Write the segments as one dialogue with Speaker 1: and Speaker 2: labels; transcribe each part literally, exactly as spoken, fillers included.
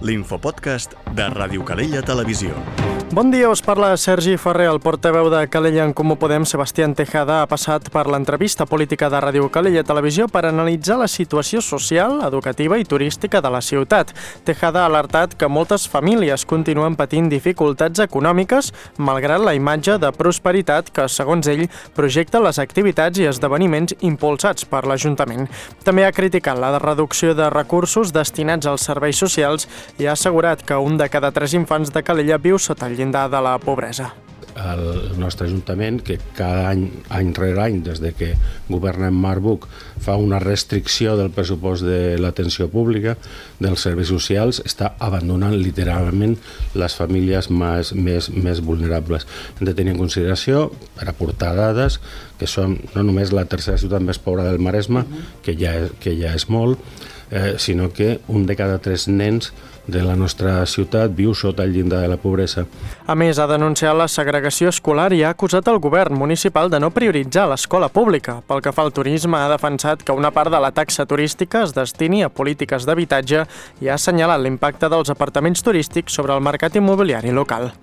Speaker 1: l'infopodcast de Ràdio Calella Televisió.
Speaker 2: Bon dia, us parla Sergi Ferrer, el portaveu de Calella en Comú Podem. Sebastián Tejada ha passat per l'entrevista política de Ràdio Calella Televisió per analitzar la situació social, educativa i turística de la ciutat. Tejada ha alertat que moltes famílies continuen patint dificultats econòmiques, malgrat la imatge de prosperitat que, segons ell, projecta les activitats i esdeveniments impulsats per l'Ajuntament. També ha criticat la reducció de recursos destinats als serveis socials i ha assegurat que un de cada tres infants de Calella viu sota el llindar de la pobresa.
Speaker 3: El nostre Ajuntament, que cada any, any rere any, des de que governa en Marc Buch, fa una restricció del pressupost de l'atenció pública, dels serveis socials, està abandonant literalment les famílies més, més, més vulnerables. Hem de tenir en consideració, per aportar dades, que som no només la tercera ciutat més pobra del Maresme, que ja, que ja és molt, eh, sinó que un de cada tres nens de la nostra ciutat viu sota el llindar de la pobresa.
Speaker 2: A més, ha denunciat la segregació escolar i ha acusat el govern municipal de no prioritzar l'escola pública. Pel que fa al turisme, ha defensat que una part de la taxa turística es destini a polítiques d'habitatge i ha assenyalat l'impacte dels apartaments turístics sobre el mercat immobiliari local.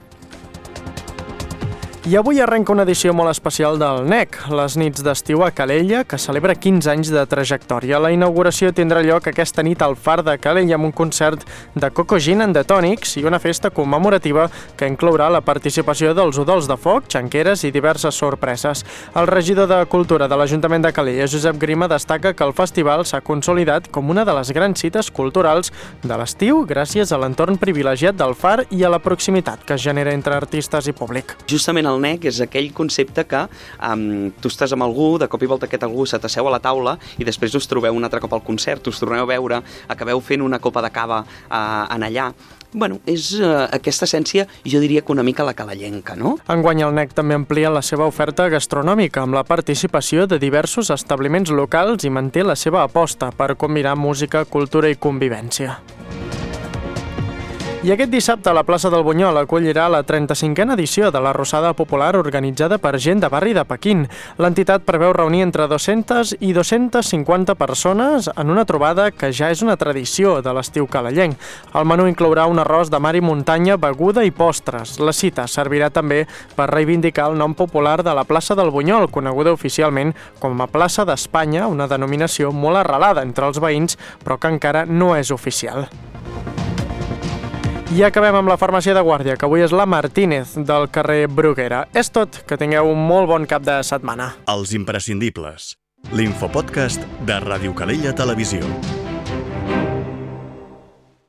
Speaker 2: I avui arrenca una edició molt especial del N E C, les nits d'estiu a Calella, que celebra quinze anys de trajectòria. La inauguració tindrà lloc aquesta nit al Far de Calella amb un concert de Coco Gin and the Tonics i una festa commemorativa que inclourà la participació dels udols de foc, xanqueres i diverses sorpreses. El regidor de Cultura de l'Ajuntament de Calella, Josep Grima, destaca que el festival s'ha consolidat com una de les grans cites culturals de l'estiu gràcies a l'entorn privilegiat del Far i a la proximitat que es genera entre artistes i públic.
Speaker 4: Justament el N E C és aquell concepte que um, tu estàs amb algú, de cop i volta aquest algú se t'asseu a la taula i després us trobeu un altre cop al concert, us torneu a veure, acabeu fent una copa de cava uh, en allà. Bueno, és uh, aquesta essència, jo diria que una mica la calellenca, no?
Speaker 2: Enguany el N E C també amplia la seva oferta gastronòmica amb la participació de diversos establiments locals i manté la seva aposta per combinar música, cultura i convivència. I aquest dissabte la plaça del Bunyol acollirà la trenta-cinquena edició de la Rossada Popular organitzada per gent de barri de Pequín. L'entitat preveu reunir entre dues-centes i dues-centes cinquanta persones en una trobada que ja és una tradició de l'estiu calellenc. El menú inclourà un arròs de mar i muntanya, beguda i postres. La cita servirà també per reivindicar el nom popular de la plaça del Bunyol, coneguda oficialment com a plaça d'Espanya, una denominació molt arrelada entre els veïns, però que encara no és oficial. I acabem amb la farmàcia de guàrdia, que avui és la Martínez, del carrer Bruguera. És tot, que tingueu un molt bon cap de setmana.
Speaker 1: Els imprescindibles. L'infopodcast de Ràdio Calella Televisió.